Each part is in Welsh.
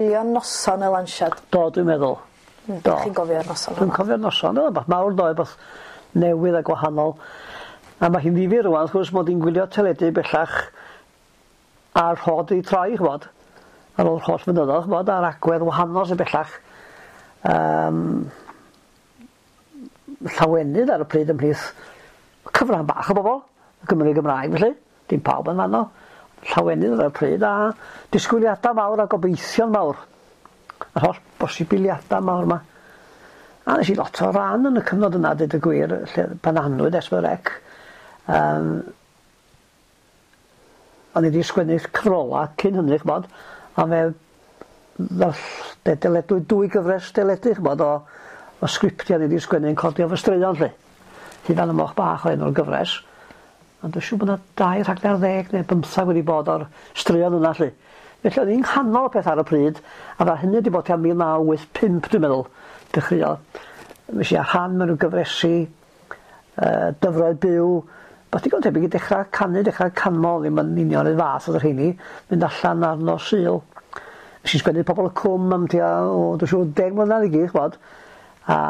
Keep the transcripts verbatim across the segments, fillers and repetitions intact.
Gwylio noson y lansiad? Do, dwi'n meddwl. Mm, Do. Chi'n gofio'r noson Dwi'n hwnna? cofio'r noson, oedd o'n mawr doedd, beth newydd a gwahanol. A mae hi'n ddifyr rwan, wrth gwrs, mod i'n gwylio teledu bellach a'r rhod i troi, ch'mod, ar ôl holl flynyddoedd, ch'mod, a'r agwedd wahanol sy'n bellach. Um, llawenydd ar y pryd ymhlith cyfran bach o bobl, y Gymru Gymraeg felly, dim pawb yn fanno. Llawenydd ar y pryd a disgwyliadau mawr a gobeithion mawr. Yr holl bosibiliadau mawr yma. A nes i lot o ran yn y cyfnod yna, dweud y gwir, lle pan anwyd S pedwar C. Um, o'n i wedi sgwennu cyfrola cyn hynny, ch'mod, a fe ddarll- deledu dwy gyfres deledu, ch'mod, o, o sgriptiau ni wedi sgwennu yn codi o fy straeon, lle. Hyd y Moch Bach o enw'r gyfres. Ond dwi'n siŵr bod yna dau rhaglen ar ddeg neu bymthag wedi bod o'r straeon yna, lle. Felly o'n i'n nghanol y peth ar y pryd, a fa hynny wedi bod tua mil naw wyth pump, dwi'n meddwl, dechreuodd. Nes i a rhan mewn rhyw gyfresi, uh, dyfroedd byw, beth digon tebyg i dechrau canu, dechrau canmol, ddim yn union yr fath oedd y rheini, mynd allan ar nos Sul. Nes i sgwennu Pobol y Cwm am tua, o, dwi'n siŵr, deg mlynedd i gyd, ch'mod. A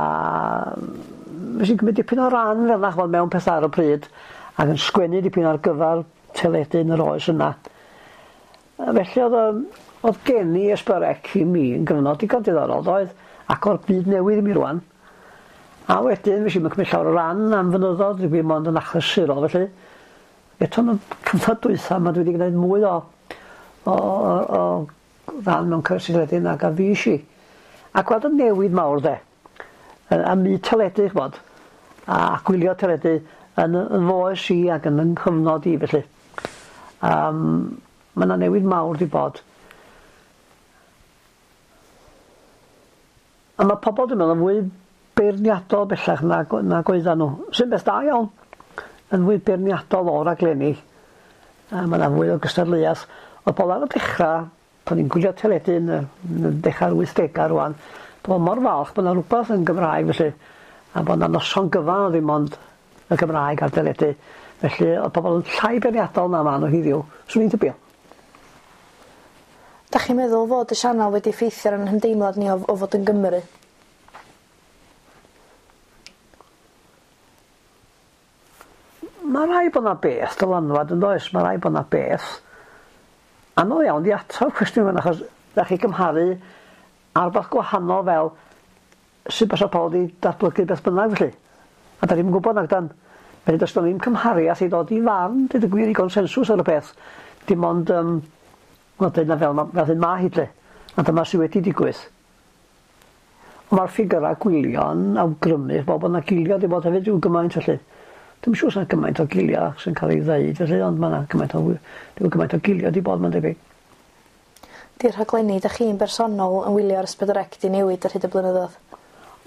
nes i gymryd dipyn o ran fel 'na, ch'mod, mewn pethau ar y pryd, ac yn sgwennu dipyn ar gyfer teledu yn yr oes yna. A felly oedd, yym, oedd geni S pedwar C i mi yn gyfnod digon diddorol, doedd, ac o'r byd newydd i mi rwan. A wedyn, nes i'm yn cymryd llawer o ran am fynyddoedd, dwi ddim ond yn achlysurol felly. Eto yn y cyfnod dwytha yma dwi wedi gwneud mwy o, o, o, o ran mewn cyfresi teledu nag a fues i. A gweld y newid mawr de, a myd teledu, ch'mod, a gwylio teledu yn yn foes i ac yn yng nghyfnod i felly. Um, mae yna newid mawr di bod. A mae pobl, dwi'n meddwl, yn fwy beirniadol bellach nag, nag oeddan nhw. Sy'n beth da iawn, yn fwy beirniadol o raglenni. A mae yna fwy o gystadleuaeth. Oedd pobl ar y dechrau, pan ni'n gwylio teledu yn y, yn y dechrau'r wythdegau rwan, pobl mor falch bod yna rhywbeth yn Gymraeg felly, a bod yna noson gyfan o ddim ond y Gymraeg ar teledu. Felly oedd pobl yn llai beirniadol na maen nhw heddiw, swn i'n tybio. Dach chi'n meddwl fod y sianel wedi effeithio ar ein hymdeimlad ni o, o fod yn Gymru? Mae rhaid bod yna beth dylanwad yn does, mae rhaid bod yna beth. Anodd iawn di atab cwestiwn yma, achos da chi gymharu ar rywbeth gwahanol fel sut bysa pobl wedi datblygu beth bynnag felly. A da ni'm yn gwybod nag dan. Felly does 'na ddim cymhariaeth i ddod i farn, dweud y gwir, i gonsensws ar y peth. Dim ond, um, wel, dyna fel, ma, fel hyn ma hi lle. A dyma sydd wedi digwydd. Ond mae'r ffigurau gwylio'n awgrymu bod yna gilio wedi bod hefyd rhyw gymaint felly. Dwi'm siŵr os yna gymaint o gilio sy'n cael ei ddeud felly, ond mae yna gymaint o, rhyw gymaint o gilio wedi bod, mae'n debyg. Di'r rhaglenni dach chi'n bersonol yn wylio ar S pedwar C di newid ar hyd y blynyddoedd?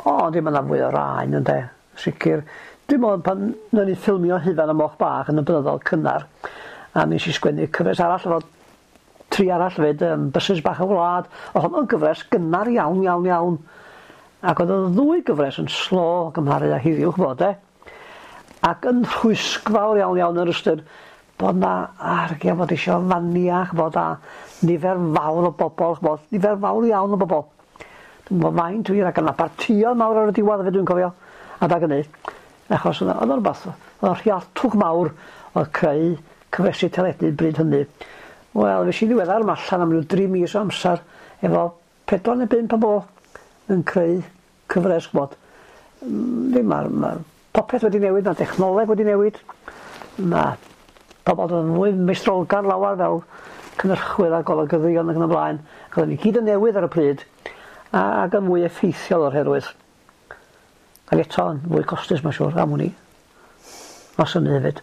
O, dim yna fwy o raen ynde, sicr. Dwi'n meddwl pan nawn ni ffilmio Hufan y Moch Bach yn y blynyddoedd cynnar, a nes i sgwennu cyfres arall efo tri arall hefyd, um, Bysys Bach y Wlad. Oedd honno'n gyfres gynnar iawn, iawn, iawn. Ac oedd y ddwy gyfres yn slo gymharu â heddiw, ch'mod, de. Ac yn rhwysgfawr iawn, iawn yr ystyr bod na argia fod isio fania, ch'mod, a nifer fawr o bobl, ch'mod, nifer fawr iawn o bobl. Dwi'n gwybod faint wir, ac yna partïon mawr ar y diwedd hefyd dwi'n cofio, adag hynny. Achos oedd o'n rhywbeth, oedd o'n rhialtwch mawr oedd creu cyfresi teledu bryd hynny. Wel, fes i ddiweddar yma allan am ryw dri mis o amser efo pedwar neu bump o bobl yn creu cyfres, ch'mod. Ddim mae'r ma popeth wedi newid, mae technoleg wedi newid, mae pobl yn fwy meistrolgar lawer fel cynhyrchwyr a golygyddion ac yn y blaen. Ac oedden ni gyd yn newydd ar y pryd, ac yn fwy effeithiol o'r herwydd. Ac eto yn fwy costus, mae'n siŵr, am wn i. Os hynny hefyd.